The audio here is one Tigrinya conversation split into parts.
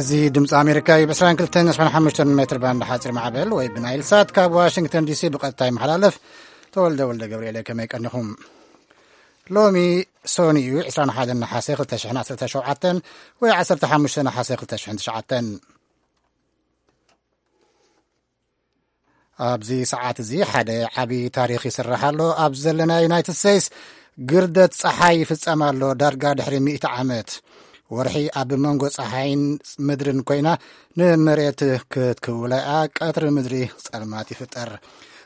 እዚ ድምፂ ኣሜሪካ እዩ። ብ22 ሓሙሽተ ሜትር ባንድ ሓፂር ማዕበል ወይ ብናይል ሳት ካብ ዋሽንግተን ዲሲ ብቐጥታ ይመሓላለፍ። ተወልደ ወልደ ገብርኤል፣ ከመይ ቀኒኹም? ሎሚ ሶኒ እዩ፣ ዕስራን ሓደን ነሓሰ ክልተ ሽሕን ዓሰርተ ሸውዓተን ወይ ዓሰርተ ሓሙሽተ ነሓሰ ክልተ ሽሕን ትሽዓተን። ኣብዚ ሰዓት እዚ ሓደ ዓቢ ታሪኽ ይስራሕ ኣሎ። ኣብ ዘለና ዩናይትድ ስቴትስ ግርደት ጸሓይ ይፍጸም ኣሎ፣ ዳርጋ ድሕሪ ሚእቲ ዓመት። ወርሒ ኣብ መንጎ ጸሓይን ምድርን ኮይና ንመሬት ክትክውለኣ፣ ቀትሪ ምድሪ ጸልማት ይፍጠር።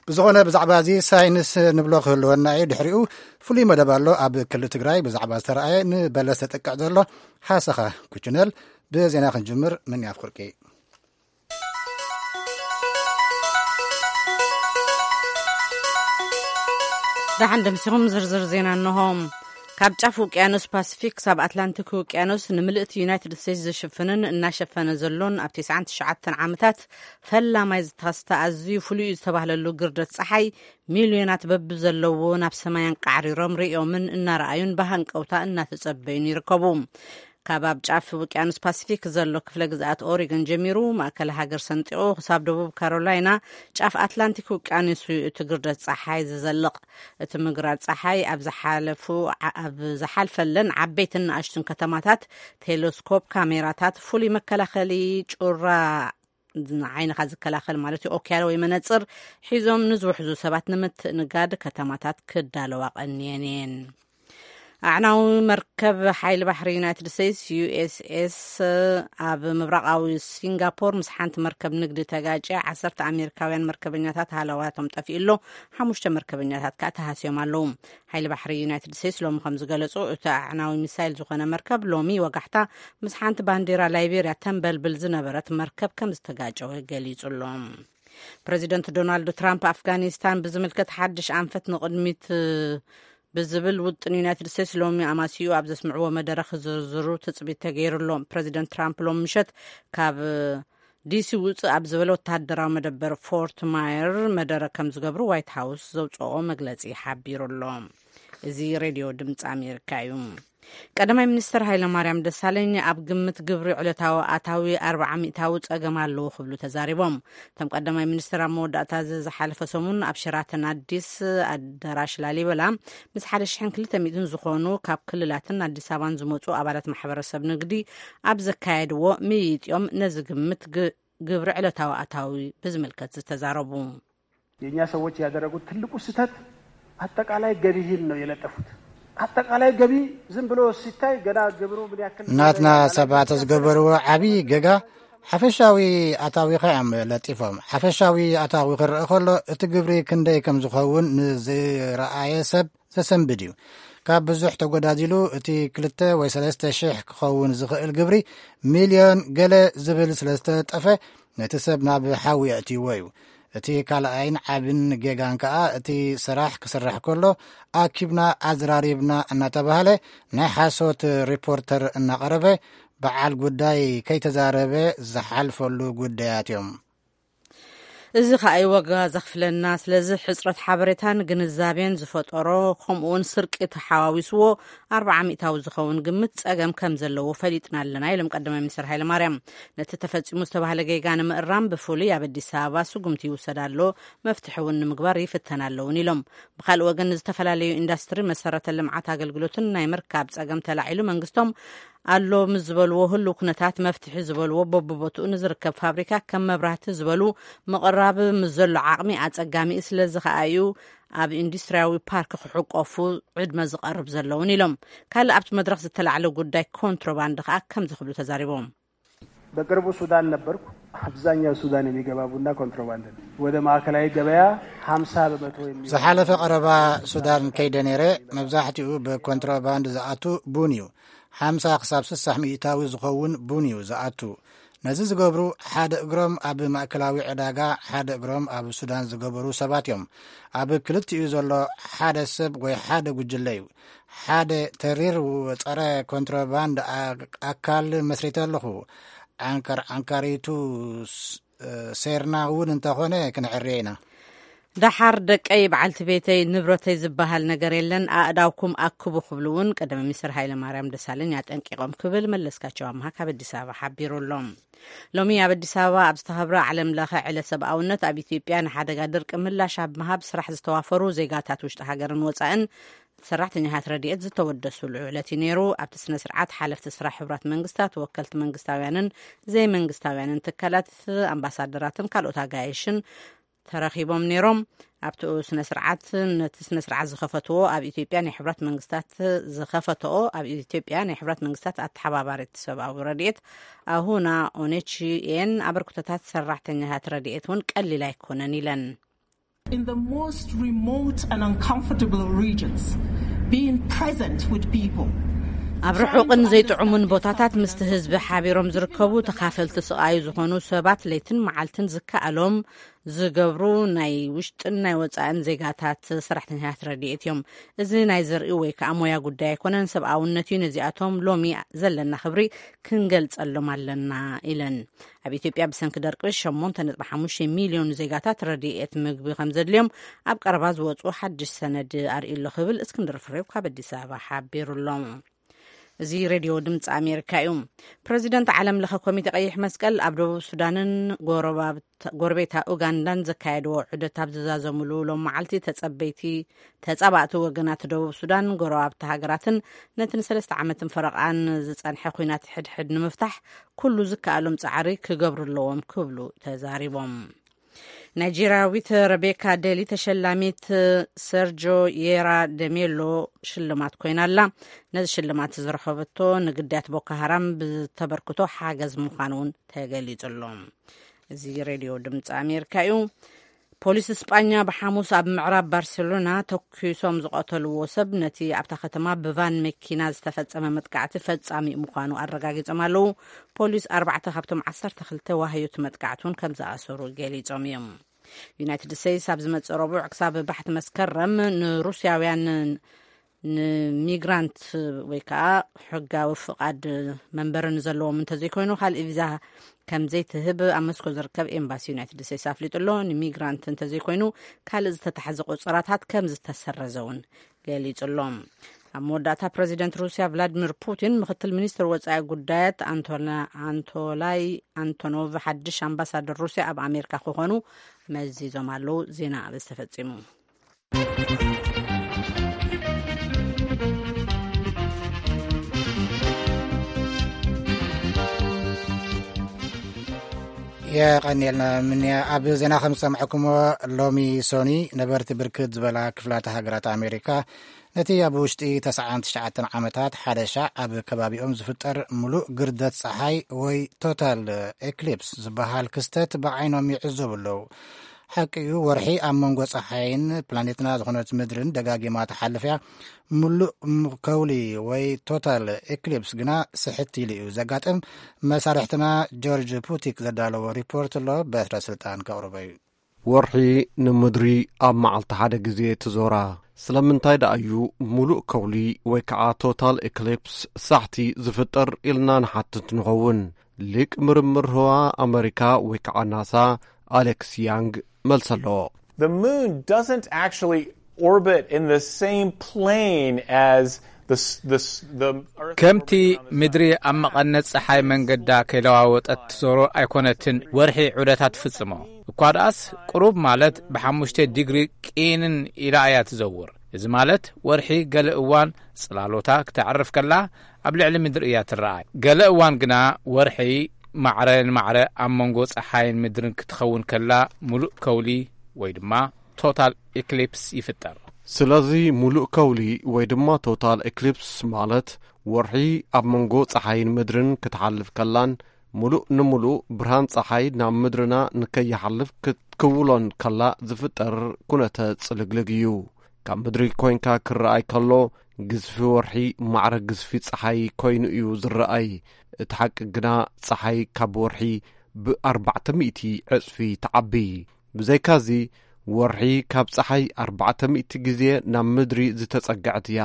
ብዝኾነ ብዛዕባ እዚ ሳይንስ ንብሎ ክህልወና እዩ። ድሕሪኡ ፍሉይ መደብ ኣሎ ኣብ ክልል ትግራይ ብዛዕባ ዝተረኣየ ንበለስ ተጠቅዕ ዘሎ ሓሰኻ ኩችነል። ብዜና ክንጅምር ምን ያፍኩርቂ። ደሓን ደምሲኹም ዝርዝር ዜና እንሆ። ካብ ጫፍ ውቅያኖስ ፓሲፊክ ክሳብ ኣትላንቲክ ውቅያኖስ ንምልእቲ ዩናይትድ ስቴትስ ዝሽፍንን እናሸፈነ ዘሎን ኣብ ተስዓን ትሽዓተን ዓመታት ፈላማይ ዝተኸስተ ኣዝዩ ፍሉይ እዩ ዝተባህለሉ ግርደት ጸሓይ ሚልዮናት በቢ ዘለዎ ናብ ሰማይ ኣንቃዕሪሮም ርእዮምን እናረኣዩን ብሃንቀውታ እናተጸበዩን ይርከቡ። ካብ ኣብ ጫፍ ውቅያኖስ ፓሲፊክ ዘሎ ክፍለ ግዝኣት ኦሪገን ጀሚሩ ማእከል ሃገር ሰንጢቑ ክሳብ ደቡብ ካሮላይና ጫፍ ኣትላንቲክ ውቅያኖስ እዩ እቲ ግርደት ጸሓይ ዝዘልቕ። እቲ ምግራት ጸሓይ ኣብ ዝሓለፉ ኣብ ዝሓልፈለን ዓበይትን ንኣሽቱን ከተማታት ቴሌስኮፕ ካሜራታት፣ ፍሉይ መከላኸሊ ጩራ ንዓይንኻ ዝከላኸል ማለት እዩ፣ ኦኪያል ወይ መነጽር ሒዞም ንዝውሕዙ ሰባት ንምትእንጋድ ከተማታት ክዳለዋ ቀንየን እየን። ኣዕናዊ መርከብ ሓይሊ ባሕሪ ዩናይትድ ስቴትስ ዩኤስኤስ ኣብ ምብራቓዊ ሲንጋፖር ምስ ሓንቲ መርከብ ንግዲ ተጋጨ። ዓሰርተ ኣሜሪካውያን መርከበኛታት ሃለዋቶም ጠፊኡ ኣሎ። ሓሙሽተ መርከበኛታት ከዓ ተሃስዮም ኣለዉ። ሓይሊ ባሕሪ ዩናይትድ ስቴትስ ሎሚ ከም ዝገለጹ፣ እቲ ኣዕናዊ ሚሳይል ዝኾነ መርከብ ሎሚ ወጋሕታ ምስ ሓንቲ ባንዲራ ላይቤርያ ተንበልብል ዝነበረት መርከብ ከም ዝተጋጨወ ገሊጹ ኣሎ። ፕረዚደንት ዶናልድ ትራምፕ ኣፍጋኒስታን ብዝምልከት ሓድሽ ኣንፈት ንቕድሚት ብዝብል ውጥን ዩናይትድ ስቴትስ ሎሚ ኣማሲኡ ኣብ ዘስምዕዎ መደረ ክዝርዝሩ ትጽቢት ተገይሩ ኣሎ። ፕረዚደንት ትራምፕ ሎሚ ምሸት ካብ ዲሲ ውፅእ ኣብ ዝበለ ወተሃደራዊ መደበር ፎርት ማየር መደረ ከም ዝገብሩ ዋይት ሃውስ ዘውፅኦ መግለፂ ሓቢሩ ኣሎ። እዚ ሬድዮ ድምፂ ኣሜሪካ እዩ። ቀዳማይ ሚኒስትር ሃይለማርያም ደሳለኝ ኣብ ግምት ግብሪ ዕለታዊ ኣታዊ ኣርብዓ ሚእታዊ ጸገም ኣለዎ ክብሉ ተዛሪቦም። እቶም ቀዳማይ ሚኒስትር ኣብ መወዳእታ እዚ ዝሓለፈ ሰሙን ኣብ ሸራተን ኣዲስ ኣዳራሽ ላሊበላ ምስ ሓደ ሽሕን ክልተ ሚእትን ዝኾኑ ካብ ክልላትን ኣዲስ ኣበባን ዝመጹ ኣባላት ማሕበረሰብ ንግዲ ኣብ ዘካየድዎ ምይይጥ እዮም ነዚ ግምት ግ-፣ ግብሪ ዕለታዊ ኣታዊ ብዝምልከት ዝተዛረቡ። የእኛ ሰዎች ያደረጉት ትልቁ ስህተት አጠቃላይ ገቢህን ነው የለጠፉት። አጠቃላይ ገቢ ዝም ብሎ ሲታይ ገና ግብሩ ምን ያክል ናትና እንደሆነ ሰባት ዝገበርዎ ዓቢ ገጋ ሓፈሻዊ ኣታዊኻ እዮም ለጢፎም። ሓፈሻዊ ኣታዊ ክረአ ከሎ እቲ ግብሪ ክንደይ ከም ዝኸውን ንዝረኣየ ሰብ ዘሰንብድ እዩ። ካብ ብዙሕ ተጎዳዚሉ እቲ ክልተ ወይ ሰለስተ ሽሕ ክኸውን ዝኽእል ግብሪ ሚልዮን ገለ ዝብል ስለ ዝተለጠፈ ነቲ ሰብ ናብ ሓዊ የእትይዎ እዩ። እቲ ካልኣይን ዓብን ጌጋን ከኣ እቲ ስራሕ ክስራሕ ከሎ ኣኪብና ኣዘራሪብና እናተባህለ ናይ ሓሶት ሪፖርተር እናቐረበ በዓል ጉዳይ ከይተዛረበ ዝሓልፈሉ ጉዳያት እዮም። እዚ ከኣ እዩ ዋጋ ዘኽፍለና። ስለዚ ሕጽረት ሓበሬታን ግንዛቤን ዝፈጠሮ ከምኡውን ስርቂ ተሓዋዊስዎ ኣርብዓ ሚእታዊ ዝኸውን ግምት ጸገም ከም ዘለዎ ፈሊጥና ኣለና ኢሎም ቀዳማይ ሚኒስትር ሃይለማርያም። ነቲ ተፈጺሙ ዝተባህለ ጌጋ ንምእራም ብፍሉይ ኣብ ኣዲስ ኣበባ ስጉምቲ ይውሰድ ኣሎ፣ መፍትሒ እውን ንምግባር ይፍተን ኣለውን ኢሎም። ብኻልእ ወገን ንዝተፈላለዩ ኢንዳስትሪ መሰረተ ልምዓት ኣገልግሎትን ናይ ምርካብ ጸገም ተላዒሉ መንግስቶም ኣሎ ምስ ዝበልዎ ህሉው ኩነታት መፍትሒ ዝበልዎ በብቦትኡ ንዝርከብ ፋብሪካ ከም መብራህቲ ዝበሉ ምቕራብ ምስ ዘሎ ዓቕሚ ኣጸጋሚ እዩ። ስለዚ ከኣ እዩ ኣብ ኢንዱስትሪያዊ ፓርክ ክሕቆፉ ዕድመ ዝቐርብ ዘለውን ኢሎም። ካልእ ኣብቲ መድረኽ ዝተላዕለ ጉዳይ ኮንትሮባንድ ከኣ ከምዚ ክብሉ ተዛሪቦም። በቅርቡ ሱዳን ነበርኩ። አብዛኛው ሱዳን የሚገባ ቡና ኮንትሮባንድ ነው። ወደ ማዕከላዊ ገበያ ሀምሳ በመቶ የሚሆን ዝሓለፈ ቀረባ ሱዳን ከይደ ነይረ። መብዛሕትኡ ብኮንትሮባንድ ዝኣቱ ቡን እዩ። ሓምሳ ክሳብ ስሳሕ ሚእታዊ ዝኸውን ቡን እዩ ዝኣቱ። ነዚ ዝገብሩ ሓደ እግሮም ኣብ ማእከላዊ ዕዳጋ፣ ሓደ እግሮም ኣብ ሱዳን ዝገበሩ ሰባት እዮም። ኣብ ክልቲኡ ዘሎ ሓደ ሰብ ወይ ሓደ ጉጅለ እዩ። ሓደ ተሪር ጸረ ኮንትሮባንድ ኣ-፣ ኣካል መስሪተ ኣለኹ። ዓንካር-፣ ዓንካሪቱ ስ-፣ ሴርና እውን እንተኾነ ክንዕርዮ ኢና። ደሓር ደቀይ፣ በዓልቲ ቤተይ፣ ንብረተይ ዝበሃል ነገር የለን፣ ኣእዳውኩም ኣክቡ ክብሉ እውን ቀደም ሚኒስትር ሃይለ ማርያም ደሳለኝ ኣጠንቂቖም ክብል መለስካቸው ኣምሃ ካብ ኣዲስ ኣበባ ሓቢሩ ኣሎ። ሎሚ ኣብ ኣዲስ ኣበባ ኣብ ዝተኸብረ ዓለም ለኸ ዕለት ሰብኣውነት፣ ኣብ ኢትዮጵያ ንሓደጋ ድርቂ ምላሽ ኣብ ምሃብ ስራሕ ዝተዋፈሩ ዜጋታት ውሽጢ ሃገርን ወፃእን ሰራሕተኛታት ረድኤት ዝተወደሱሉ ዕለት እዩ ነይሩ። ኣብቲ ስነ ስርዓት ሓለፍቲ ስራሕ ሕቡራት መንግስታት፣ ወከልቲ መንግስታውያንን ዘይመንግስታውያንን ትካላት፣ ኣምባሳደራትን ካልኦት ኣጋይሽን ተረኺቦም ነይሮም። ኣብቲ ስነ ስርዓት፣ ነቲ ስነ ስርዓት ዝኸፈትዎ ኣብ ኢትዮጵያ ናይ ሕቡራት መንግስታት ዝኸፈትኦ ኣብ ኢትዮጵያ ናይ ሕቡራት መንግስታት ኣተሓባባሪት ሰብኣዊ ረድኤት ኣሁና ኦኔቺ ኤን፣ ኣበርክቶታት ሰራሕተኛታት ረድኤት እውን ቀሊል ኣይኮነን ኢለን። In the most remote and uncomfortable regions, being present with people ኣብ ርሑቕን ዘይጥዑሙን ቦታታት ምስቲ ህዝቢ ሓቢሮም ዝርከቡ ተኻፈልቲ ስቓዩ ዝኾኑ ሰባት ለይትን መዓልትን ዝከኣሎም ዝገብሩ ናይ ውሽጥን ናይ ወፃእን ዜጋታት ሰራሕተኛታት ረድኤት እዮም። እዚ ናይ ዘርኢ ወይ ከዓ ሞያ ጉዳይ ኣይኮነን፣ ሰብኣውነት እዩ። ነዚኣቶም ሎሚ ዘለና ክብሪ ክንገልጸሎም ኣለና ኢለን። ኣብ ኢትዮጵያ ብሰንኪ ደርቂ ሸሞንተ ነጥቢ ሓሙሽተ ሚልዮን ዜጋታት ረድኤት ምግቢ ከም ዘድልዮም ኣብ ቀረባ ዝወፁ ሓድሽ ሰነድ ኣርእዩ ኣሎ ክብል እስክንድር ፍሬው ካብ ኣዲስ ኣበባ ሓቢሩ ኣሎ። እዚ ሬድዮ ድምፂ ኣሜሪካ እዩ። ፕረዚደንት ዓለም ለኸ ኮሚቴ ቀይሕ መስቀል ኣብ ደቡብ ሱዳንን ጎረባብት-፣ ጎረቤታ ኡጋንዳን ዘካየድዎ ዑደት ኣብ ዝዛዘሙሉ ሎም መዓልቲ ተጸበይቲ፣ ተጻባእቲ ወገናት ደቡብ ሱዳን፣ ጎረባብቲ ሃገራትን ነቲ ንሰለስተ ዓመትን ፈረቓን ዝጸንሐ ኲናት ሕድሕድ ንምፍታሕ ኩሉ ዝከኣሎም ጻዕሪ ክገብሩ ኣለዎም ክብሉ ተዛሪቦም። ናይጄርያዊት ረቤካ ዴሊ ተሸላሚት ሰርጆ የራ ደሜሎ ሽልማት ኮይና ኣላ። ነዚ ሽልማት ዝረኸበቶ ንግዳያት ቦኮ ሃራም ብተበርክቶ ሓገዝ ምዃኑ እውን ተገሊጹ ኣሎ። እዚ ሬድዮ ድምፂ ኣሜሪካ እዩ። ፖሊስ እስጳኛ ብሓሙስ ኣብ ምዕራብ ባርሴሎና ተኲሶም ዝቐተልዎ ሰብ ነቲ ኣብታ ከተማ ብቫን መኪና ዝተፈጸመ መጥቃዕቲ ፈጻሚ ምዃኑ ኣረጋጊጾም ኣለዉ። ፖሊስ ኣርባዕተ ካብቶም ዓሰርተ ክልተ ዋህዮት መጥቃዕቲ እውን ከም ዝኣሰሩ ገሊጾም እዮም። ዩናይትድ ስቴትስ ኣብ ዝመጽእ ረቡዕ ክሳብ ባሕቲ መስከረም ንሩስያውያን ንሚግራንት ወይ ከዓ ሕጋዊ ፍቓድ መንበሪ ንዘለዎም እንተዘይኮይኑ ካልእ ቪዛ ከም ዘይትህብ ኣብ መስኮ ዝርከብ ኤምባሲ ዩናይትድ ስቴትስ ኣፍሊጡ ኣሎ። ንሚግራንት እንተዘይኮይኑ ካልእ ዝተታሕዘ ቁፅራታት ከም ዝተሰረዘ እውን ገሊጹ ኣሎ። ኣብ መወዳእታ ፕረዚደንት ሩስያ ቭላዲሚር ፑቲን ምክትል ሚኒስትር ወፃኢ ጉዳያት ኣንቶላ-፣ ኣንቶላይ ኣንቶኖቭ ሓድሽ ኣምባሳደር ሩስያ ኣብ ኣሜሪካ ክኾኑ መዚዞም ኣለዉ። ዜና ኣብ ዝተፈጺሙ። የቐንየልና ምንያ። ኣብ ዜና ከም ዝሰማዕኩሞ ሎሚ ሶኒ ነበርቲ ብርክት ዝበላ ክፍላተ ሃገራት ኣሜሪካ ነቲ ኣብ ውሽጢ ተስዓን ትሽዓተን ዓመታት ሓደ ሻዕ ኣብ ከባቢኦም ዝፍጠር ሙሉእ ግርደት ፀሓይ ወይ ቶታል ኤክሊፕስ ዝበሃል ክስተት ብዓይኖም ይዕዘቡ ኣለዉ። ሓቂ እዩ፣ ወርሒ ኣብ መንጎ ጸሓይን ፕላኔትና ዝኾነት ምድርን ደጋጊማ ትሓልፍ እያ። ምሉእ ም-፣ ከውሊ ወይ ቶታል ኤክሊፕስ ግና ስሕት ኢሉ እዩ ዘጋጥም። መሳርሕትና ጆርጅ ፑቲክ ዘዳለዎ ሪፖርት ኣሎ፣ በትረ ስልጣን ከቕርቦ እዩ። ወርሒ ንምድሪ ኣብ መዓልቲ ሓደ ግዜ ትዞራ። ስለምንታይ ደኣ እዩ ምሉእ ከውሊ ወይ ከዓ ቶታል ኤክሊፕስ ሳሕቲ ዝፍጠር ኢልና ንሓትት ንኸውን። ሊቅ ምርምር ህዋ ኣመሪካ ወይ ከዓ ናሳ ኣሌክስ ያንግ መልሲ ኣለዎ። The moon doesn't actually orbit in the same plane as the s-, the s-, the Earth ከምቲ orbits around the sun. ምድሪ ኣብ መቐነት ጸሓይ መንገዳ ከይለዋወጠት ትዞሮ ኣይኮነትን ወርሒ ዑደታ ትፍጽሞ። እኳ ደኣስ ቅሩብ ማለት ብሓሙሽተ ዲግሪ ቂንን ኢላ እያ ትዘውር። እዚ ማለት ወርሒ ገለ እዋን ጽላሎታ ክተዕርፍ ከላ ኣብ ልዕሊ ምድሪ እያ ትረኣይ። ገለ እዋን ግና ወርሒ ማዕረ ንማዕረ ኣብ መንጎ ጸሓይን ምድርን ክትኸውን ከላ ምሉእ ከውሊ ወይ ድማ ቶታል ኤክሊፕስ ይፍጠር። ስለዚ ምሉእ ከውሊ ወይ ድማ ቶታል ኤክሊፕስ ማለት ወርሒ ኣብ መንጎ ጸሓይን ምድርን ክትሓልፍ ከላን ምሉእ ንምሉእ ብርሃን ጸሓይ ናብ ምድርና ንከይሓልፍ ክትክውሎን ከላ ዝፍጠር ኩነተ ጽልግልግ እዩ። ካብ ምድሪ ኮይንካ ክረኣይ ከሎ ግዝፊ ወርሒ ማዕረ ግዝፊ ጸሓይ ኮይኑ እዩ ዝረኣይ። እቲ ሓቂ ግና፣ ጸሓይ ካብ ወርሒ ብኣርባዕተ ሚእቲ ዕጽፊ ትዓቢ። ብዘይካዚ፣ ወርሒ ካብ ጸሓይ ኣርባዕተ ሚእቲ ግዜ ናብ ምድሪ ዝተጸግዐት እያ።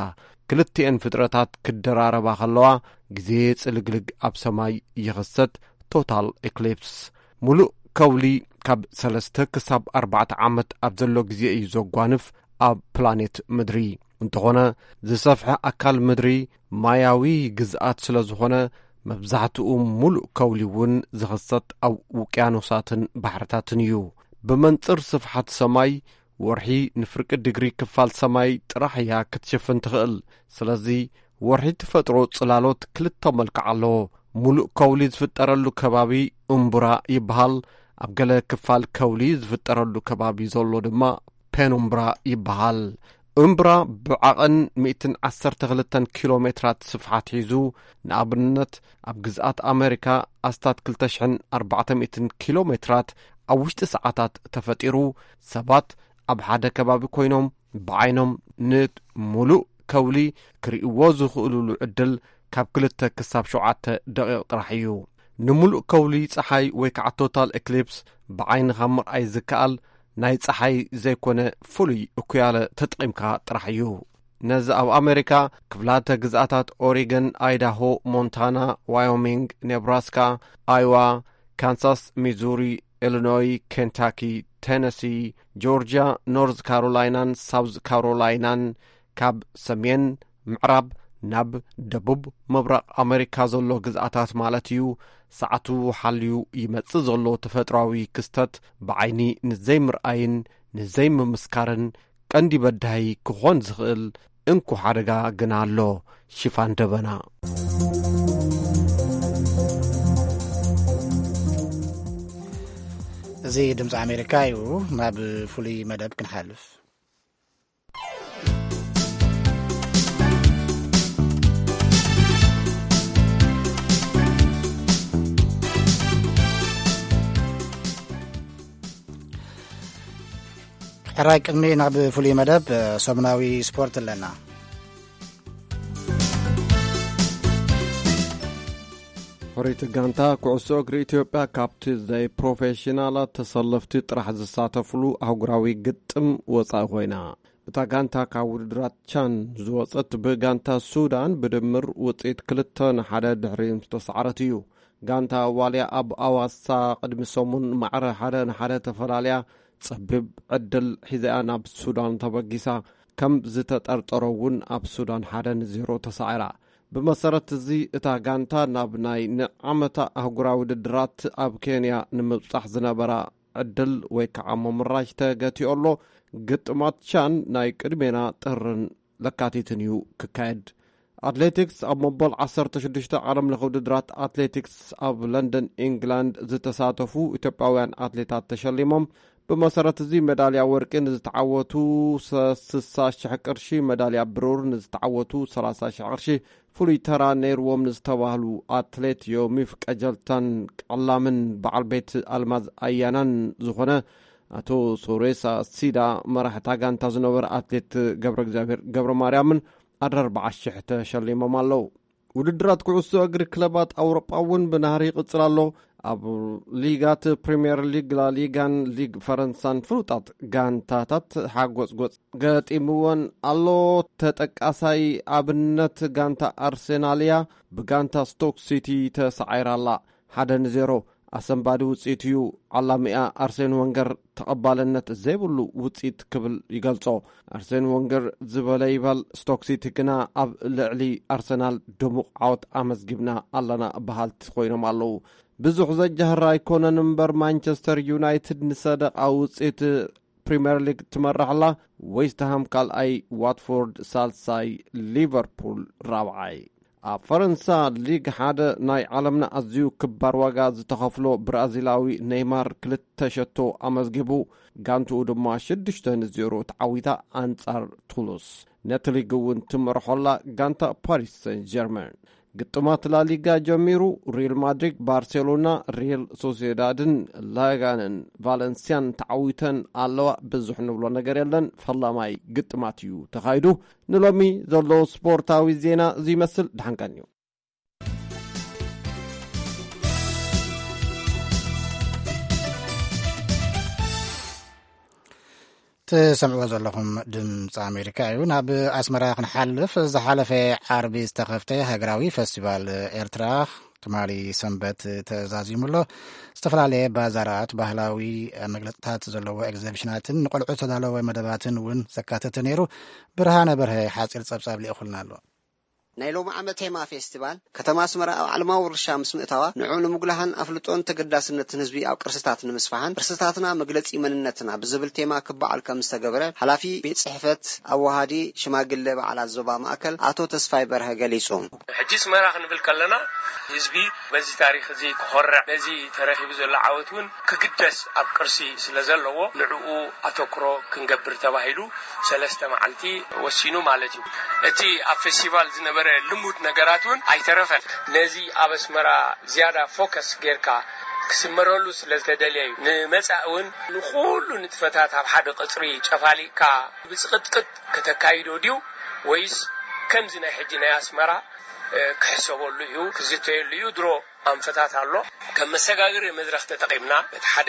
ክልቲኤን ፍጥረታት ክደራረባ ከለዋ፣ ግዜ ጽልግልግ ኣብ ሰማይ ይኽሰት፣ ቶታል ኤክሊፕስ። ሙሉእ ከውሊ ካብ ሰለስተ ክሳብ ኣርባዕተ ዓመት ኣብ ዘሎ ግዜ እዩ ዘጓንፍ ኣብ ፕላኔት ምድሪ። እንተኾነ፣ ዝሰፍሐ ኣካል ምድሪ ማያዊ ግዝኣት ስለ ዝኾነ፣ መብዛሕትኡ ሙሉእ ከውሊ እውን ዝኽሰት ኣብ ውቅያኖሳትን ባሕርታትን እዩ። ብመንጽር ስፍሓት ሰማይ፣ ወርሒ ንፍርቂ ዲግሪ ክፋል ሰማይ ጥራሕ እያ ክትሽፍን ትኽእል። ስለዚ፣ ወርሒ ተፈጥሮ ጽላሎት ክልተ መልክዕ ኣለዎ። ሙሉእ ከውሊ ዝፍጠረሉ ከባቢ እምቡራ ይበሃል። ኣብ ገለ ክፋል ከውሊ ዝፍጠረሉ ከባቢ ዘሎ ድማ ፔኑምብራ ይበሃል። እምብራ ብዓቐን ሚእትን ዓሰርተ ክልተን ኪሎ ሜትራት ስፍሓት ሒዙ፣ ንኣብነት፣ ኣብ ግዝኣት ኣመሪካ ኣስታት ክልተ ሽሕን ኣርባዕተ ሚእትን ኪሎ ሜትራት ኣብ ውሽጢ ሰዓታት ተፈጢሩ፣ ሰባት ኣብ ሓደ ከባቢ ኮይኖም ብዓይኖም ንሙሉእ ከውሊ ክርእይዎ ዝኽእሉሉ ዕድል ካብ ክልተ ክሳብ ሸውዓተ ደቂቕ ጥራሕ እዩ። ንሙሉእ ከውሊ ጸሓይ ወይ ከዓ ቶታል ኤክሊፕስ ብዓይንኻ ምርኣይ ዝከኣል ናይ ጸሓይ ዘይኮነ ፍሉይ እኩያለ ተጠቒምካ ጥራሕ እዩ። ነዚ ኣብ ኣሜሪካ ክፍላተ ግዝኣታት ኦሪገን፣ ኣይዳሆ፣ ሞንታና፣ ዋዮሚንግ፣ ኔብራስካ፣ ኣይዋ፣ ካንሳስ፣ ሚዙሪ፣ ኢሊኖይ፣ ኬንታኪ፣ ቴነሲ፣ ጆርጅያ፣ ኖርዝ ካሮላይናን ሳውዝ ካሮላይናን፣ ካብ ሰሜን ምዕራብ ናብ ደቡብ ምብራቕ ኣመሪካ ዘሎ ግዝኣታት ማለት እዩ፣ ሰዓቱ ሓልዩ ይመጽእ ዘሎ ተፈጥሮኣዊ ክስተት ብዓይኒ ንዘይምርኣይን ንዘይምምስካርን ቀንዲ በዳሂ ክኾን ዝኽእል እንኮ ሓደጋ ግና ኣሎ። ሽፋን ደበና። እዚ ድምፂ ኣሜሪካ እዩ። ናብ ፍሉይ መደብ ክንሓልፍ። ሕራይ ቅድሚ ናብ ፍሉይ መደብ፣ ሰሙናዊ ስፖርት ኣለና። ሕሩይቲ ጋንታ ኩዕሶ እግሪ ኢትዮጵያ ካብቲ ዘይፕሮፌሽናላት ተሰለፍቲ ጥራሕ ዝሳተፍሉ ኣህጉራዊ ግጥም ወጻኢ ኮይና። እታ ጋንታ ካብ ውድድራት ቻን ዝወጸት ብጋንታ ሱዳን ብድምር ውጽኢት ክልተ ንሓደ ድሕሪ ምስ ተሳዕረት እዩ። ጋንታ ዋልያ ኣብ ኣዋሳ ቅድሚ ሰሙን ማዕረ ሓደ ንሓደ ተፈላልያ ጸቢብ ዕድል ሒዛያ ናብ ሱዳን ተበጊሳ። ከም ዝተጠርጠሮ እውን ኣብ ሱዳን ሓደ ንዜሮ ተሳዒራ። ብመሰረት እዚ እታ ጋንታ ናብ ናይ ንዓመታ ኣህጉራዊ ውድድራት ኣብ ኬንያ ንምብጻሕ ዝነበራ ዕድል ወይ ከዓ ምምራሽ ተገቲኦ ኣሎ። ግጥማት ቻን ናይ ቅድሜና ጥርን ለካቲትን እዩ ክካየድ። ኣትሌቲክስ ኣብ መበል ዓሰርተ ሽዱሽተ ዓለም ለኸ ውድድራት ኣትሌቲክስ ኣብ ለንደን ኢንግላንድ ዝተሳተፉ ኢትዮጵያውያን ኣትሌታት ተሸሊሞም። ብመሰረት እዚ ሜዳልያ ወርቂ ንዝተዓወቱ ስሳ ሽሕ ቅርሺ፣ ሜዳልያ ብሩር ንዝተዓወቱ ሰላሳ ሽሕ ቅርሺ፣ ፍሉይ ተራ ነይርዎም ንዝተባህሉ ኣትሌት ዮሚፍ ቀጀልታን ቀላምን በዓል ቤት ኣልማዝ ኣያናን ዝኾነ ኣቶ ሶሬሳ ሲዳ መራሕታ ጋንታ ዝነበረ ኣትሌት ገብረ እግዚኣብሔር ገብረ ማርያምን ኣርባዓ ሽሕ ተሸሊሞም ኣለዉ። ውድድራት ኩዕሶ እግሪ ክለባት ኣውሮጳ እውን ብናህሪ ይቕጽል ኣሎ። ኣብ ሊጋት ፕሪምየር ሊግ፣ ላሊጋን ሊግ ፈረንሳን ፍሉጣት ጋንታታት ሓጎጽጎጽ ገጢምወን ኣሎ። ተጠቃሳይ ኣብነት ጋንታ ኣርሴናል እያ። ብጋንታ ስቶክ ሲቲ ተሳዒራ ኣላ። ሓደ ንዜሮ ኣሰንባዲ ውጽኢት እዩ። ዓላሚኣ ኣርሴን ወንገር ተቐባልነት ዘይብሉ ውጽኢት ክብል ይገልጾ። ኣርሴን ወንገር ዝበለ ይበል፣ ስቶክ ሲቲ ግና ኣብ ልዕሊ ኣርሰናል ድሙቕ ዓወት ኣመዝጊብና ኣለና በሃልቲ ኮይኖም ኣለዉ። ብዙሕ ዘጃህር ኣይኮነን እምበር፣ ማንቸስተር ዩናይትድ ንሰደቓ ውጽኢት ፕሪምየር ሊግ ትመርሕ ኣላ። ዌስትሃም ካልኣይ፣ ዋትፎርድ ሳልሳይ፣ ሊቨርፑል ራብዓይ። ኣብ ፈረንሳ ሊግ ሓደ ናይ ዓለምና ኣዝዩ ክባር ዋጋ ዝተኸፍሎ ብራዚላዊ ኔይማር ክልተ ሸቶ ኣመዝጊቡ። ጋንትኡ ድማ ሽዱሽተ ንዜሮ ተዓዊታ ኣንጻር ቱሉስ። ነቲ ሊግ እውን ትመርሖላ ጋንታ ፓሪስ ሰን ጀርመን። ግጥማት ላሊጋ ጀሚሩ። ሪል ማድሪድ፣ ባርሴሎና፣ ሪል ሶሲዳድን ላጋንን ቫለንሲያን ተዓዊተን ኣለዋ። ብዙሕ ንብሎ ነገር የለን። ፈላማይ ግጥማት እዩ ተኻይዱ። ንሎሚ ዘሎ ስፖርታዊ ዜና እዚ ይመስል። ደሓን ቀንዩ። ትሰምዕዎ ዘለኹም ድምፂ ኣሜሪካ እዩ። ናብ ኣስመራ ክንሓልፍ፣ ዝሓለፈ ዓርቢ ዝተኸፍተ ሃገራዊ ፈስቲቫል ኤርትራ ትማሊ ሰንበት ተዛዚሙ ኣሎ። ዝተፈላለየ ባዛራት፣ ባህላዊ መግለፅታት ዘለዎ ኤግዚቢሽናትን ንቆልዑ ዝተዳለወ መደባትን እውን ዘካተተ ነይሩ። ብርሃነ በርሀ ሓፂር ፀብፃብ ልኢኹልና ኣሎ። ናይ ሎሚ ዓመት ቴማ ፌስቲቫል ከተማ ኣስመራ ኣብ ዓለማዊ ውርሻ ምስ ምእታዋ፣ ንዑ ንምጉላህን ኣፍልጦን ተገዳስነትን ህዝቢ ኣብ ቅርስታት ንምስፋሕን ቅርስታትና መግለጺ መንነትና ብዝብል ቴማ ክበዓል ከም ዝተገበረ ሓላፊ ቤት ጽሕፈት ኣዋሃዲ ሽማግለ በዓላት ዞባ ማእከል ኣቶ ተስፋይ በርሀ ገሊጹ። ሕጂ ኣስመራ ክንብል ከለና ህዝቢ በዚ ታሪኽ እዚ ክኾርዕ፣ ነዚ ተረኺቡ ዘሎ ዓወት እውን ክግደስ ኣብ ቅርሲ ስለ ዘለዎ ንዕኡ ኣተኩሮ ክንገብር ተባሂሉ ሰለስተ መዓልቲ ወሲኑ ማለት እዩ። እቲ ኣብ ፌስቲቫል ዝነበረ ልሙድ ነገራት እውን ኣይተረፈን። ነዚ ኣብ ኣስመራ ዝያዳ ፎከስ ጌርካ ክስመረሉ ስለ ዝተደልየ እዩ። ንመጻኢ እውን ንኹሉ ንጥፈታት ኣብ ሓደ ቅጽሪ ጨፋሊቕካ ብጽቕጥቅጥ ከተካይዶ ድዩ ወይስ ከምዚ ናይ ሕጂ ናይ ኣስመራ፣ እ፣ ክሕሰበሉ እዩ፣ ክዝተየሉ እዩ? ድሮ ኣንፈታት ኣሎ። ከም መሰጋገሪ መድረኽ ተጠቒምና፣ በቲ ሓደ፣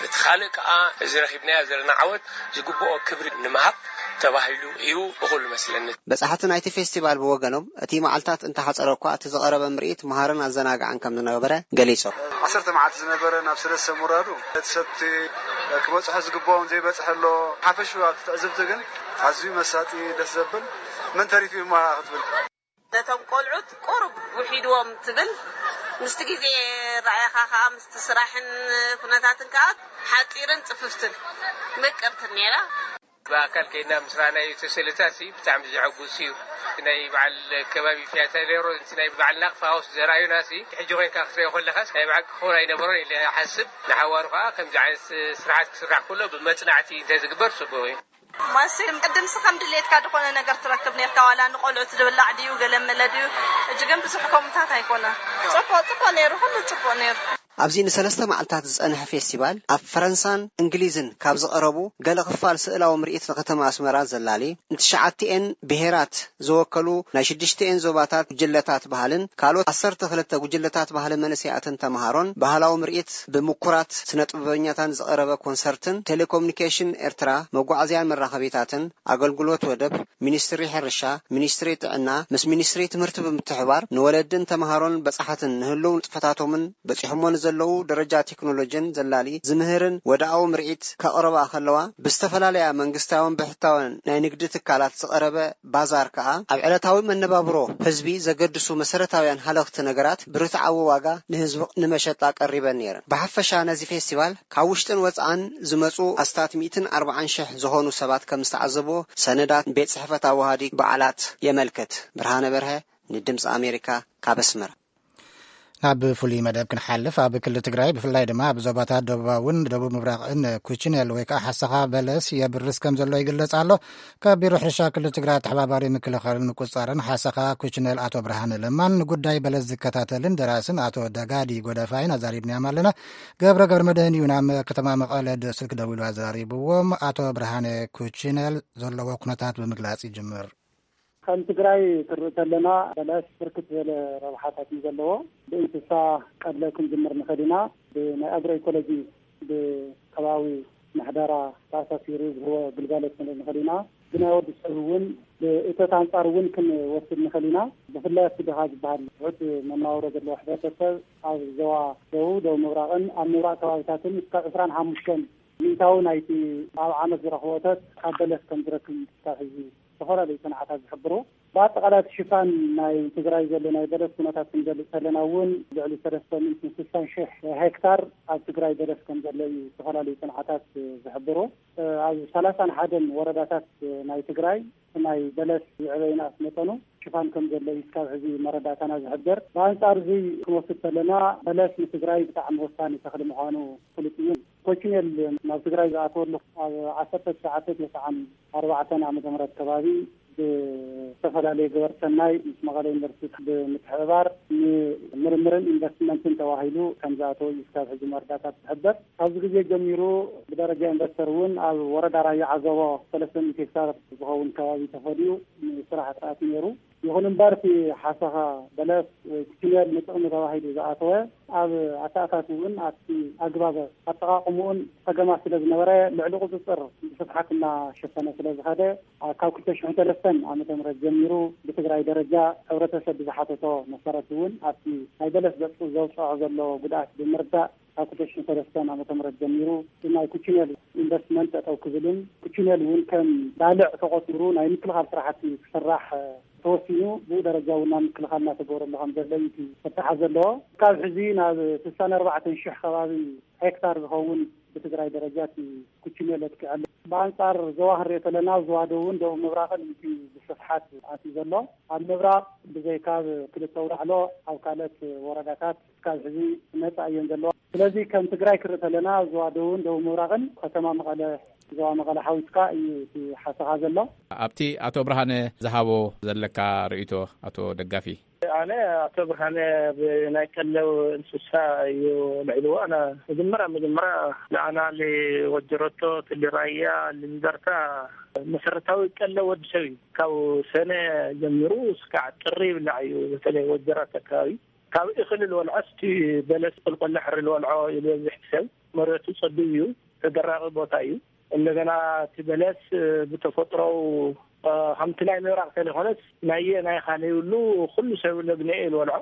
በቲ ካልእ ከኣ እዚ ረኺብናዮ ዘለና ዓወት ዝግብኦ ክብሪ ንምሃብ ተባሂሉ እዩ እኹል መስለኒ። በጻሕቲ ናይቲ ፌስቲቫል ብወገኖም፣ እቲ መዓልታት እንተሓጸረ እኳ፣ እቲ ዝቐረበ ምርኢት መሃርን ኣዘናጋዕን ከም ዝነበረ ገሊጾም። ዓሰርተ መዓልቲ ዝነበረ ናብ ሰለስተ ምውራዱ፣ እቲ ሰብቲ ክበጽሖ ዝግብኦም ዘይበጽሐ ኣሎ። ሓፈሹ ኣብቲ ትዕዝብቲ ግን ኣዝዩ መሳጢ፣ ደስ ዘብል፣ መን ተሪፉ እዩ እሞ ክትብል። ነቶም ቆልዑት ቁሩብ ውሒድዎም ትብል፣ ምስቲ ግዜ ረኣያኻ ከኣ ምስቲ ስራሕን ኩነታትን ከኣ ሓጺርን ጽፍፍትን ምቅርትን ነይራ። ብኣካል ከይድና ምስ ረኣናዮ እቲ ስእልታት ሲ ብጣዕሚ ዘሐጉስ እዩ። ናይ በዓል ከባቢ ፒያሳ ኔሮ፣ እቲ ናይ በዓል ናቕፋ ሃውስ ዘርኣዩና ሲ ሕጂ ኮይንካ ክትሪኦ ከለኻስ ናይ ብሓቂ ክኸውን ኣይነበሮን ኢለ ይሓስብ። ንሓዋሩ ከኣ ከምዚ ዓይነት ስርሓት ክስራሕ ከሎ ብመጽናዕቲ እንተዝግበር ጽቡቕ እዩ። ማሲም ቅድምሲ ከም ድሌትካ ዝኾነ ነገር ትረክብ ኔርካ፣ ዋላ ንቆልዑት ዝብላዕ ድዩ ገለ መለ ድዩ፣ እጂ ግን ብዙሕ ከምታት ኣይኮነ። ጽቡቕ፣ ጽቡቕ ነይሩ፣ ኩሉ ጽቡቕ ነይሩ። ኣብዚ ንሰለስተ መዓልታት ዝጸንሐ ፌስቲቫል ኣብ ፈረንሳን እንግሊዝን ካብ ዝቐረቡ ገለ ክፋል ስእላዊ ምርኢት ንከተማ ኣስመራ ዘላሊ፣ ንትሽዓቲኤን ብሄራት ዝወከሉ ናይ ሽዱሽቲኤን ዞባታት ጉጅለታት ባህልን ካልኦት ዓሰርተ ክልተ ጉጅለታት ባህሊ መንእሰያትን ተምሃሮን ባህላዊ ምርኢት ብምኩራት ስነ ጥበበኛታን ዝቐረበ ኮንሰርትን ቴሌኮሙኒኬሽን ኤርትራ መጓዓዝያን መራኸቢታትን ኣገልግሎት ወደብ፣ ሚኒስትሪ ሕርሻ፣ ሚኒስትሪ ጥዕና ምስ ሚኒስትሪ ትምህርቲ ብምትሕብባር ንወለድን ተምሃሮን በጻሕትን ንህልው ንጥፈታቶምን በጺሖሞ ንዘለዉ ደረጃ ቴክኖሎጂን ዘላሊ ዝምህርን ወድኣዊ ምርኢት ከቕርባ ከለዋ፣ ብዝተፈላለያ መንግስታውን ብሕታውን ናይ ንግዲ ትካላት ዝቐረበ ባዛር ከኣ ኣብ ዕለታዊ መነባብሮ ህዝቢ ዘገድሱ መሰረታውያን ሃለኽቲ ነገራት ብርትዓዊ ዋጋ ንህዝቢ ንመሸጣ ቀሪበን ነይረን። ብሓፈሻ ነዚ ፌስቲቫል ካብ ውሽጥን ወጻእን ዝመጹ ኣስታት ሚእትን ኣርባዓን ሽሕ ዝኾኑ ሰባት ከም ዝተዓዘብዎ ሰነዳት ቤት ጽሕፈት ኣዋሃዲ በዓላት የመልክት። ብርሃነ በርሀ ንድምፂ ኣሜሪካ ካብ ኣስመራ። ናብ ፍሉይ መደብ ክንሓልፍ፣ ኣብ ክልል ትግራይ ብፍላይ ድማ ኣብ ዞባታት ደቡባውን ደቡብ ምብራቕን ኩችኔል ወይ ከዓ ሓሰኻ በለስ የብርስ ከም ዘሎ ይግለጽ ኣሎ። ካብ ቢሮ ሕርሻ ክልል ትግራይ ኣተሓባባሪ ምክልኻልን ምቁፅፃርን ሓሰኻ ኩችኔል ኣቶ ብርሃነ ለማን ንጉዳይ በለስ ዝከታተልን ደራስን ኣቶ ደጋዲ ጎደፋይን ኣዛሪብናዮም ኣለና። ገብረ ገብረ መድህን እዩ ናብ ከተማ መቐለ ስልክ ደዊሉ ኣዘራሪብዎም። ኣቶ ብርሃነ ኩችኔል ዘለዎ ኩነታት ብምግላጽ ይጅምር። ከም ትግራይ ክርኢ ከለና በለስ ብርክት ዝበለ ረብሓታት እዩ ዘለዎ። ብእንስሳ ቀድለ ክንጅምር ንኽእል ኢና። ብናይ ኣግሮ ኢኮሎጂ ብከባቢ ምሕደራ ተኣሳሲሩ ዝህቦ ግልጋሎት ክንርኢ ንኽእል ኢና። ብናይ ወዲ ሰብ እውን ብእቶት ኣንጻር እውን ክንወስድ ንኽእል ኢና። ብፍላይ ኣብቲ ድኻ ዝበሃል ትሑት መናውሮ ዘለዎ ሕብረተሰብ ኣብ ዞባ ደቡብ፣ ደቡብ ምብራቕን ኣብ ምብራቕ ከባቢታትን እስካብ ዕስራን ሓሙሽተን ሚእታዊ ናይቲ ኣብ ዓመት ዝረኽቦ እቶት ካብ በለስ ከም ዝረክብ ክሳብ ሕዚ ዝተፈላለዩ ጽንዓታት ዝሕብሩ። ብኣጠቓላይ እቲ ሽፋን ናይ ትግራይ ዘሎ ናይ በለስ ኩነታት ክንገልጽ ከለና እውን ልዕሊ ሰለስተ ሚእትን ስሳን ሽሕ ሄክታር ኣብ ትግራይ በለስ ከም ዘሎ እዩ ዝተፈላለዩ ጽንዓታት ዝሕብሩ። ኣብ ሰላሳን ሓደን ወረዳታት ናይ ትግራይ ናይ በለስ ዝዕበይናስ መጠኑ ሽፋን ከም ዘሎ እዩ እስካብ ሕዚ መረዳእታና ዝሕብር። ብኣንጻር እዚ ክንወስድ ከለና በለስ ንትግራይ ብጣዕሚ ወሳኒ ተኽሊ ምዃኑ ፍሉጥ እዩ። ኮችኔል ናብ ትግራይ ዝኣተወሉ ኣብ ዓሰርተ ትሽዓተ ተስዓን ኣርባዕተን ዓመተ ምህረት ከባቢ ብዝተፈላለየ ገበር ሰናይ ምስ መቐለ ዩኒቨርሲቲ ብምትሕብባር ንምርምርን ኢንቨስትመንትን ተባሂሉ ከም ዝኣተወ እዩ እስካብ ሕዚ መረዳእታ ዝሕበር። ካብዚ ግዜ ጀሚሩ ብደረጃ ኢንቨስተር እውን ኣብ ወረዳ ራያ ዓዘቦ ሰለስተ ሚእቲ ሄክታር ዝኸውን ከባቢ ተፈልዩ ንስራሕ ኣትኣትዩ ነይሩ። ይኹን እምበር እቲ ሓሰኻ በለስ ወይ ኩችኔል ንጥቕሚ ተባሂሉ ዝኣተወ ኣብ ኣተኣታት እውን ኣብቲ ኣግባብ ኣጠቓቕምኡን ጸገማት ስለ ዝነበረ ልዕሊ ቁጽጽር ብስፍሓት እናሸፈነ ስለ ዝኸደ ካብ ክልተ ሽሕን ሰለስተን ዓመተ ምህረት ጀሚሩ ብትግራይ ደረጃ ሕብረተሰብ ብዝሓተቶ መሰረት እውን ኣብቲ ናይ በለስ ዘውፅዖ ዘሎ ጉድኣት ብምርዳእ ካብ ክልተ ሽሕን ሰለስተን ዓመተ ምህረት ጀሚሩ ናይ ኩችኔል ኢንቨስትመንት ጠጠው ክብልን ኩችኔል እውን ከም ባልዕ ተቆፂሩ ናይ ምክልኻል ስራሕቲ ክስራሕ ተወሲኑ ብኡ ደረጃ እውን ናብ ምክልኻል እናተገበረሉ ከም ዘሎ እዩ እቲ ክተሓዝ ዘለዎ። ካብ ሕዚ ናብ ስሳን ኣርባዕተን ሽሕ ከባቢ ሄክታር ዝኸውን ብትግራይ ደረጃ እቲ ኩችኔል ኣጥቂዐሉ። ብኣንጻር ዞባ ክንሪኦ ከለና ዞባ ደቡብን ደቡብ ምብራቕን እቲ ብስፍሓት ኣትዩ ዘሎ። ኣብ ምብራቕ ብዘይካ ኣብ ክልተ ውላዕሎ ኣብ ካልኦት ወረዳታት እስካብ ሕዚ ነፃ እየን ዘለዋ። ስለዚ ከም ትግራይ ክርኢ ከለና ዞባ ደቡብን ደቡብ ምብራቕን ከተማ መቐለ፣ ዞባ መቐለ ሓዊስካ እዩ እቲ ሓሰኻ ዘሎ። ኣብቲ ኣቶ ብርሃነ ዝሃቦ ዘለካ ርእይቶ ኣቶ ደጋፊ? ኣነ ኣቶ ብርሃነ ብናይ ቀለብ እንስሳ እዩ ልዕልዎ። ኣነ መጀመርያ መጀመርያ ንኣና ልወጀረቶ ትልራያ ልንዘርታ መሰረታዊ ቀለብ ወዲ ሰብ እዩ። ካብ ሰነ ጀሚሩ እስካዕ ጥሪ ይብላዕ እዩ። በተለይ ወጀራት ኣካባቢ ካብ እኽሊ ልወልዖ እስቲ በለስ ቆልቆለ ሕሪ ልወልዖ እዩ ዝበዝሕ ሰብ። መሬቱ ጸቢብ እዩ፣ ተደራቂ ቦታ እዩ። እንደገና እቲ በለስ ብተፈጥሮው ከምቲ ናይ ምብራቕ ተለይኮነስ ናየ ናይ ካለይብሉ ኩሉ ሰብ ለግነኤ ልወልዖ።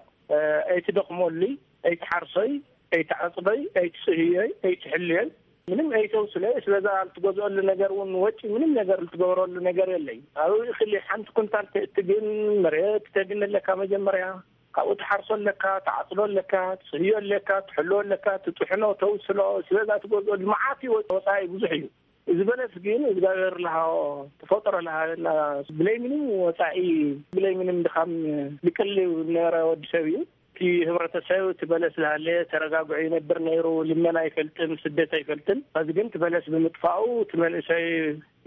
ኣይትደኽመሉይ፣ ኣይትሓርሶይ፣ ኣይትዓጽዶይ፣ ኣይትጽህዮይ፣ ኣይትሕልዮይ፣ ምንም ኣይተውስለይ። ስለዛ ልትገዝኦሉ ነገር እውን ወጪ ምንም ነገር ልትገበረሉ ነገር የለይ። ኣብ እኽሊ ሓንቲ ኩንታል ተእትግን መሬት ተግን ኣለካ መጀመርያ። ካብኡ ትሓርሶ ኣለካ፣ ትዓጽዶ ኣለካ፣ ትጽህዮ ኣለካ፣ ትሕሎ ኣለካ፣ ትጥሕኖ፣ ተውስሎ። ስለዛ ትገዝኦሉ መዓት እዩ፣ ወፃኢ ብዙሕ እዩ። እዚ በለስ ግን እግዚኣብሔር ልሃቦ ተፈጥሮ ልሃበና ብለይ ምንም ወፃኢ ብለይ ምንም ድኻም ልቅልብ ነበረ ወዲ ሰብ እዩ። እቲ ህብረተሰብ እቲ በለስ ዝሃለ ተረጋግዑ ይነብር ነይሩ። ልመና ኣይፈልጥን፣ ስደት ኣይፈልጥን። ሕዚ ግን እቲ በለስ ብምጥፋኡ እቲ መንእሰይ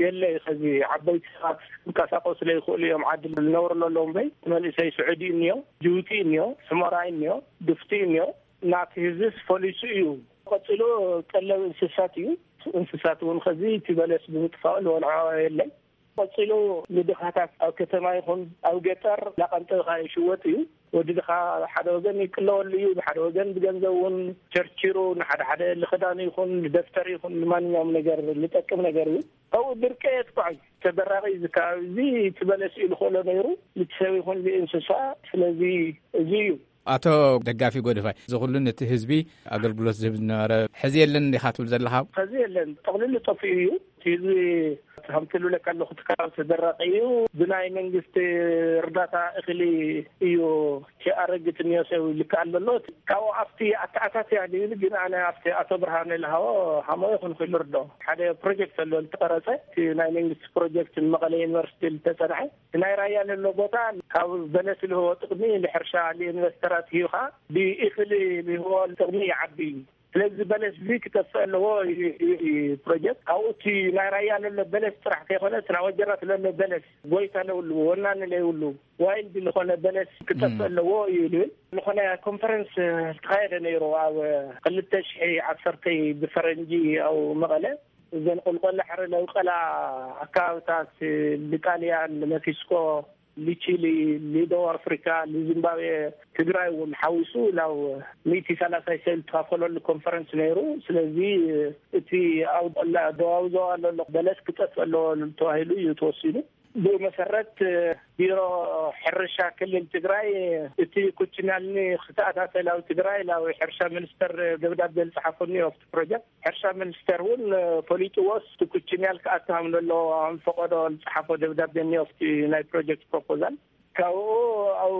የለ። ከዚ ዓበይቲ ሰባት ክንቀሳቀሱ ዘይክእሉ እዮም። ዓዲ ዝነብሩ ኣለዎም በይ እቲ መንእሰይ ስዑዲ እኒዮ፣ ጅቡቲ እኒዮ፣ ሕሞራይ እኒዮ፣ ድፍቲ እኒዮ። ናቲ ህዝብስ ፈሊሱ እዩ። ቀፂሉ ቀለብ እንስሳት እዩ። እንስሳት እውን ከዚ እቲ በለስ ብምጥፋኡ ዝበልዖ የለን። ቀፂሉ ንድኻታት ኣብ ከተማ ይኹን ኣብ ገጠር እናቐንጠብካ ይሽወጥ እዩ። ወዲ ድኻ ሓደ ወገን ይቅለወሉ እዩ፣ ብሓደ ወገን ብገንዘብ እውን ቸርቺሩ ንሓደ ሓደ ልኽዳኑ ይኹን ልደፍተር ይኹን ንማንኛውም ነገር ልጠቅም ነገር እዩ። ኣብኡ ድርቂ የጥቅዖ እዩ። ተደራቂ እዚ ከባቢ እዚ እቲ በለስ እዩ ልኽእሎ ነይሩ፣ ልቲ ሰብ ይኹን ልእንስሳ። ስለዚ እዚ እዩ። ኣቶ ደጋፊ ጎደፋይ፣ እዚ ኩሉ ነቲ ህዝቢ ኣገልግሎት ዝህብ ዝነበረ ሕዚ የለን እንዲኻ ትብል ዘለኻ? ሕዚ የለን፣ ጠቕሊሉ ጠፊኡ እዩ። እቲ ህዝቢ ከምቲ ልብለካ ኣለኹ፣ እቲ ከባቢ ተደራቂ እዩ። ብናይ መንግስቲ እርዳታ እኽሊ እዩ። እቲ ኣረግት እኒኦ ሰብ ይልክኣል ዘሎ። ካብኡ ኣብቲ ኣተኣታትያ ድብል ግን ኣነ ኣብቲ ኣቶ ብርሃነ ልሃቦ ሃሞ ይኹን ክልርዶ ሓደ ፕሮጀክት ኣሎ ልተቐረጸ፣ እቲ ናይ መንግስቲ ፕሮጀክት ንመቐለ ዩኒቨርሲቲ ልተጸንሐ፣ እቲ ናይ ራያ ለሎ ቦታ ካብ በለስ ልህቦ ጥቕሚ ንሕርሻ ንኢንቨስተራት ሂብኻ ብእኽሊ ልህቦ ጥቕሚ ይዓቢ እዩ። ስለዚ በለስ እዚ ክጠፍእ ኣለዎ እዩ፣ እዩ፣ እዩ ፕሮጀክት። ካብኡ እቲ ናይ ራያ ለሎ በለስ ጥራሕ ከይኮነ እቲ ናይ ወጀራት ለሎ በለስ ጎይታ ለብሉ፣ ወናኒ ለይብሉ፣ ዋይልድ ዝኾነ በለስ ክጠፍእ እም። ኣለዎ እዩ ልብል። ዝኾነ ኮንፈረንስ ዝተኻየደ ነይሩ ኣብ ክልተ ሽሕ ዓሰርተ ብፈረንጂ ኣብ መቐለ። እዘን ቆልቆለ ሕረ ለውቀላ ኣካባብታት ንጣልያን ንመክሲኮ፣ ንቺሊ፣ ንደቡብ ኣፍሪካ፣ ንዚምባብዌ፣ ትግራይ እውን ሓዊሱ ናብ ሚእቲ ሰላሳ ሰብ ዝተኻፈለሉ ኮንፈረንስ ነይሩ። ስለዚ እቲ ኣብ ቆላ ደቡባዊ ዞባ ዘሎ በለስ ክጠፍእ ኣለዎ ተባሂሉ እዩ ተወሲኑ። ብኡ መሰረት ቢሮ ሕርሻ ክልል ትግራይ እቲ ኩችናልኒ ክተኣታተል ኣብ ትግራይ ናብ ሕርሻ ሚኒስተር ደብዳቤ ዝፀሓፈኒ ኣብቲ ፕሮጀክት። ሕርሻ ሚኒስተር እውን ፈሊጥዎስ እቲ ኩችናል ክኣቱ ከም ዘለዎ ከም ፈቀዶ ዝፀሓፎ ደብዳቤ እኒኦ ኣብቲ ናይ ፕሮጀክት ፕሮፖዛል። ካብኡ ኣብ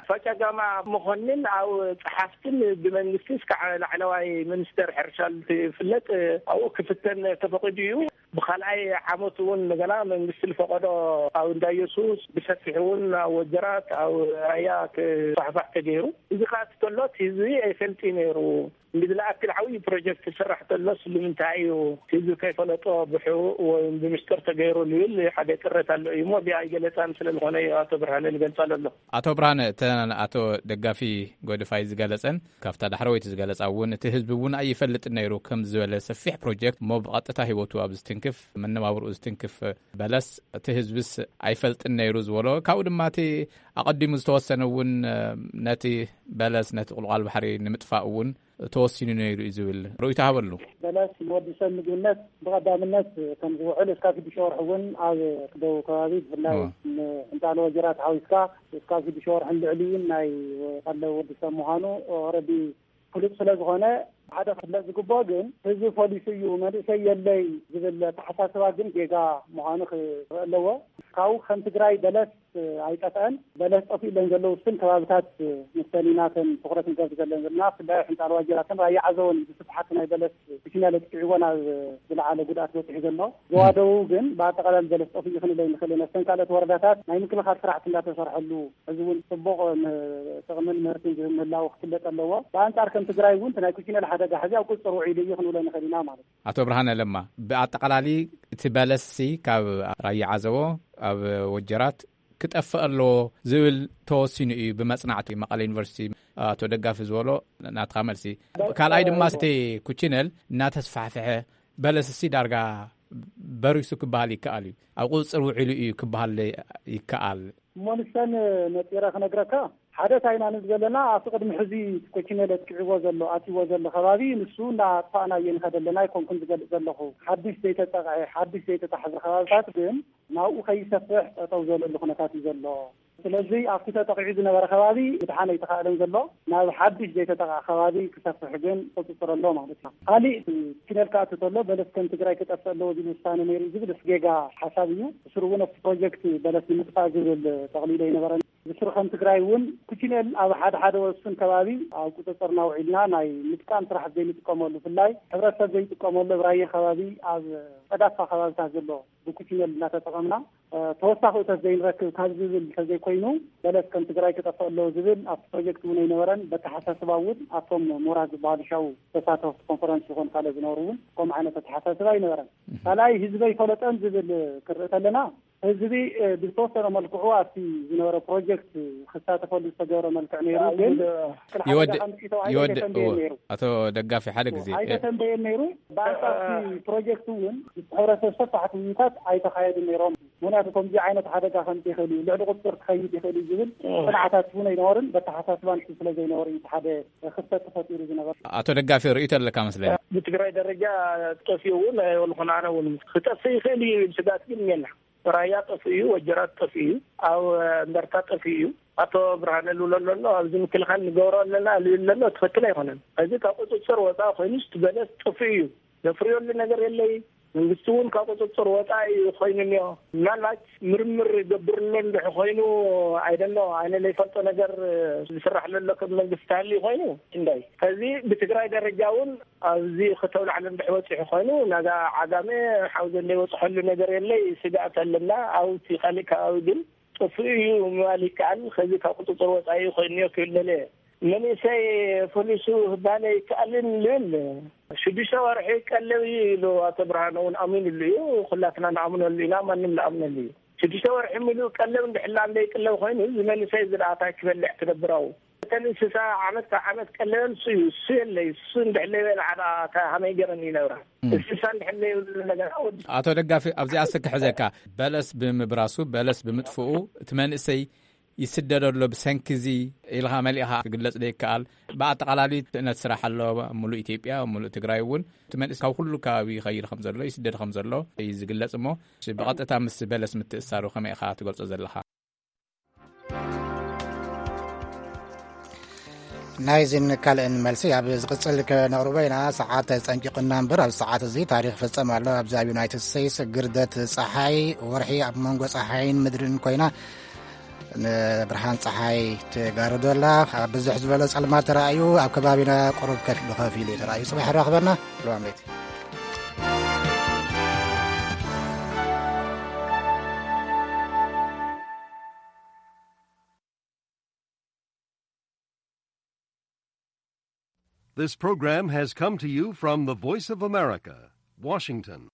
ፈጨጋማ መኮንን ኣብ ፀሓፍትን ብመንግስቲ እስካዕ ላዕለዋይ ሚኒስተር ሕርሻ ዝፍለጥ ኣብኡ ክፍተን ተፈቂዱ እዩ። ብካልኣይ ዓመት እውን እንደገና መንግስቲ ዝፈቀዶ ኣብ እንዳ ኢየሱስ ብሰፊሕ እውን ኣብ ወጀራት ኣብ ራያ ክፋሕፋሕ ተገይሩ። እዚ ከዓ እቲ ከሎ እቲ ህዝቢ ኣይፈልጥ እዩ ነይሩ። እንዲ ዝለኣክል ዓብዪ ፕሮጀክት ዝስራሕ ተሎስ ንምንታይ እዩ ህዝቢ ከይፈለጦ ብሕቡእ ወይ ብምስጢር ተገይሩ ዝብል ሓደ ቅሬታ ኣሎ እዩ እሞ፣ እዚኣ ኣይገለጻን ስለ ዝኾነ እዩ ኣቶ ብርሃነ ዝገልጻ ዘሎ። ኣቶ ብርሃነ፣ እተን ኣቶ ደጋፊ ጎድፋይ ዝገለጸን ካብታ ዳሕረወይቲ ዝገለጻ እውን፣ እቲ ህዝቢ እውን ኣይፈልጥን ነይሩ ከም ዝበለ ሰፊሕ ፕሮጀክት እሞ ብቐጥታ ህይወቱ ኣብ ዝትንክፍ፣ መነባብርኡ ዝትንክፍ በለስ እቲ ህዝብስ ኣይፈልጥን ነይሩ ዝበሎ፣ ካብኡ ድማ እቲ ኣቐዲሙ ዝተወሰነ እውን ነቲ በለስ፣ ነቲ ቁልቋል ባሕሪ ንምጥፋእ እውን ተወሲኑ ነይሩ እዩ ዝብል ርእይቶ ሃበሉ። በለስ ንወዲ ሰብ ምግብነት ብቐዳምነት ከም ዝውዕል እስካብ ሽዱሽተ ወርሒ እውን ኣብ ደቡብ ከባቢ ብፍላይ እዎ። ንሕንጣሎ ወጀራት ሓዊስካ እስካብ ሽዱሽተ ወርሕን ልዕሊኡን ናይ ቀለብ ወዲ ሰብ ምዃኑ ኦረዲ ፍሉጥ ስለ ዝኾነ ሓደ ክፍለጥ ዝግብኦ ግን ህዝቢ ፖሊሲ እዩ መንእሰይ የለይ ዝብል ኣተሓሳስባ ግን ጌጋ ምዃኑ ክረአ ኣለዎ። ካብኡ ከም ትግራይ በለስ ኣይጠፍአን። በለስ ጠፊእለን ዘለዉ ውስን ከባብታት ምስተን ኢና እተን ትኹረት ንገብር ዘለና። ብፍላይ ሕንጣሎ ዋጀራትን ራያ ዓዘቦን ብስፍሓት ናይ በለስ ብሽኛ ለጥቂዕዎ ናብ ዝለዓለ ጉድኣት በፂሑ ዘሎ። ዞባ ደቡብ ግን ብኣጠቓላሊ በለስ ጠፊኡ ክንብል ኣይንኽእልን። ኣብተን ካልኦት ወረዳታት ናይ ምክልኻል ስራሕቲ እንዳተሰርሐሉ ሕዚ እውን ፅቡቕ ም-፣ ጥቕምን ምህርትን ዝህብ ምህላዉ ክፍለጥ ኣለዎ። ብኣንፃር ከም ትግራይ እውን እቲ ናይ ኩሽነል ሓደጋ ሕዚ ኣብ ቁፅፅር ውዒሉ እዩ ክንብሎ ንኽእል ኢና ማለት እዩ። ኣቶ ብርሃነ ለማ፣ ብኣጠቓላሊ እቲ በለስሲ ካብ ራያ ዓዘቦ ኣብ ወጀራት ክጠፍእ ኣለዎ ዝብል ተወሲኑ እዩ ብመጽናዕቲ መቐለ ዩኒቨርሲቲ ኣቶ ደጋፊ ዝበሎ ናትኻ መልሲ። ካልኣይ ድማ እቲ ኩችነል እናተስፋሕፍሐ በለስሲ ዳርጋ በሪሱ ክበሃል ይከኣል እዩ። ኣብ ቁጽጽር ውዒሉ እዩ ክበሃል ይከኣል። እሞ ንሰን ነጢረ ክነግረካ፣ ሓደ እንታይ ኢና ንብል ዘለና፣ ኣብቲ ቅድሚ ሕዚ ኮችነል ኣጥቂዕዎ ዘሎ፣ ኣትይዎ ዘሎ ከባቢ፣ ንሱ እናኣጥፋእናዮ ንኸደ ኣለና ኣይኮንኩን ዝገልጽ ዘለኹ። ሓድሽ ዘይተጠቕዐ፣ ሓድሽ ዘይተታሕዘ ከባብታት ግን ናብኡ ከይሰፍሕ ጠጠው ዝበለሉ ኩነታት እዩ ዘሎ። ስለዚ ኣብቲ ተጠቂዑ ዝነበረ ከባቢ ምድሓን ኣይተኻእለን ዘሎ፣ ናብ ሓድሽ ዘይተጠቕዐ ከባቢ ክሰፍሕ ግን ቁጽጽር ኣሎ ማለት እዩ። ካሊእ ኮችነል ክኣቱ ተሎ በለስ ከም ትግራይ ክጠፍእ ኣለዎ ዝብል ውሳነ ነይሩ ዝብል ጌጋ ሓሳብ እዩ። ብስሩ እውን ኣብቲ ፕሮጀክት በለስ ንምጥፋእ ዝብል ጠቕሊሉ ኣይነበረን። ብስሩ ከም ትግራይ እውን ኩችነል ኣብ ሓደ ሓደ ወሱን ከባቢ ኣብ ቁፅፅርና ውዒልና ናይ ምጥቃም ስራሕ ዘይንጥቀመሉ፣ ብፍላይ ሕብረተሰብ ዘይጥቀመሉ ኣብ ራየ ከባቢ ኣብ ፀዳፋ ከባብታት ዘሎ ብኩችነል እናተጠቐምና፣ እ፣ ተወሳኺ እቶት ዘይንረክብ ካብ ዝብል እንተዘይኮይኑ በለስ ከም ትግራይ ክጠፍእ ኣለዎ ዝብል ኣብቲ ፕሮጀክት እውን ኣይነበረን። በተሓሳስባ እውን ኣብቶም ምሁራት ዝበሃሉ ሻው ተሳተፍቲ ኮንፈረንስ ይኹን ካልእ ዝነበሩ እውን ከምኡ ዓይነት ኣተሓሳስባ ኣይነበረን። ካልኣይ ህዝቢ ኣይፈለጠን ዝብል ክርኢ ከለና ህዝቢ፣ እ፣ ብዝተወሰነ መልክዑ ኣብቲ ዝነበረ ፕሮጀክት ክሳተፈሉ ዝተገብረ መልክዕ ነይሩ፣ ግን ይወድእ፣ ሓደጋ ከምፅኡ ተባሂሉ ይወድእ። ኣይተተንበየን እዎ። ነይሩ። ኣቶ ደጋፊ ሓደ ግዜ፣ እ፣ ኣይተተንበየን ነይሩ። ብኣንጻር እቲ ፕሮጀክት እውን ምስ ሕብረተሰብ ሰፋሕቲ ውይይታት ኣይተኻየዱን ነይሮም። ምኽንያቱ ከምዚ ዓይነት ሓደጋ ከምፅእ ይኽእል እዩ፣ ልዕሊ ቁፅር ክኸይድ ይኽእል እዩ ዝብል እ። ፅንዓታት እውን ኣይነበርን፣ በተሓሳስባን ስለ ዘይነበሩ እዩ እቲ ሓደ ክፍተት ተፈጢሩ ዝነበረ። ኣቶ ደጋፊ ርእይቶ ኣለካ መስለኒ። ብትግራይ ደረጃ ጠፊኡ እውን ኣይበልኹን፣ ኣነ እውን ክጠፍእ ይኽእል እዩ ይብል ስጋት ግን የለን። ራያ ጠፍኡ እዩ፣ ወጀራት ጠፍኡ እዩ፣ ኣብ እንደርታ ጠፍኡ እዩ። ኣቶ ብርሃነ ልብሎ ኣሎ፣ ኣብዚ ምክልኻል ንገብሮ ኣለና ልብል ኣሎ፣ ትኽክል ኣይኮነን። እዚ ካብ ቁፅፅር ወፃኢ ኮይኑ፣ እቲ በለስ ጠፍኡ እዩ። ዘፍርየሉ ነገር የለይ። መንግስቲ እውን ካብ ቁፅፅር ወፃኢ እዩ ኮይኑ እኒኦ። ምናልባት ምርምር ይገብርሉ እንድሕ ኮይኑ፣ ኣይደሎ፣ ኣነ ዘይፈልጦ ነገር ዝስራሕ ዘሎ ከም መንግስቲ ተሃልዩ ኮይኑ፣ እንዳይ። ከዚ ብትግራይ ደረጃ እውን ኣብዚ ክተውላዕለ እንድሕ በፂሑ ኮይኑ፣ ናጋ ዓጋመ ሓውዘን ዘይበፅሐሉ ነገር የለይ፣ ስግኣት ኣለና። ኣብቲ ካልእ ከባቢ ግን ጥፉእ እዩ ምባል ይከኣል። ከዚ ካብ ቁፅፅር ወፃኢ ኮይኑ እኒኦ ክብል ደልየ። መንእሰይ ፈሊሱ ክባለ ይከኣልን ልብል። ሽዱሽተ ወርሒ ቀለብ እዩ ኢሉ ኣቶ ብርሃነ እውን ኣሚኑሉ እዩ። ኩላትና ንኣምነሉ ኢና፣ ማንም ንኣምነሉ እዩ። ሽዱሽተ ወርሒ ሙሉእ ቀለብ እንድሕላ እንደይቅለብ ኮይኑ፣ እዚ መንእሰይ እዚ ደኣ እንታይ ክበልዕ ክነብር ኣብኡ? እተን እንስሳ ዓመት ካብ ዓመት ቀለበን እሱ እዩ። እሱ የለይ። እሱ እንድሕለይ በልዓ ደኣ፣ እታ ሃመይ ገረን ይነብራ። እም። እንስሳ እንድሕለይ ይብሉ ነገር ወዲ ኣቶ ደጋፊ፣ ኣብዚኣ እስከ ክሕዘካ። በለስ ብምብራሱ፣ በለስ ብምጥፍኡ፣ እቲ መንእሰይ ይስደድ ኣሎ ብሰንኪ እዚ ኢልካ መሊእኻ ክግለጽ ዘይከኣል። ብኣጠቓላሊ ትእነት ስራሕ ኣሎ፣ ሙሉእ ኢትዮጵያ፣ ሙሉእ ትግራይ እውን። እቲ መንእሰይ ካብ ኩሉ ከባቢ ይኸይድ ከም ዘሎ፣ ይስደድ ከም ዘሎ እዩ ዝግለጽ እሞ፣ ብቐጥታ ምስ በለስ ምትእሳሩ ከመይ ኢኻ ትገልጾ ዘለኻ? ናይዚን ካልእን መልሲ ኣብ ዝቕጽል ከነቕርቦ ኢና። ሰዓት ጸንቂቑና እምበር፣ ኣብ ሰዓት እዚ ታሪኽ ይፍጸም ኣሎ። ኣብዚ ኣብ ዩናይትድ ስቴትስ ግርደት ጸሓይ፣ ወርሒ ኣብ መንጎ ጸሓይን ምድርን ኮይና፣ ንብርሃን ጸሓይ ትጋርዶ ኣላ። ኣብ ብዝሕ ዝበለ ጸልማት ተራእዩ፣ ኣብ ከባቢና ቁሩብ ከፊሉ ከፊሉ እዩ ተራእዩ። ጽባሕ ይራኽበና። ሰላም ለይቲ። This program has come to you from the Voice of America, Washington.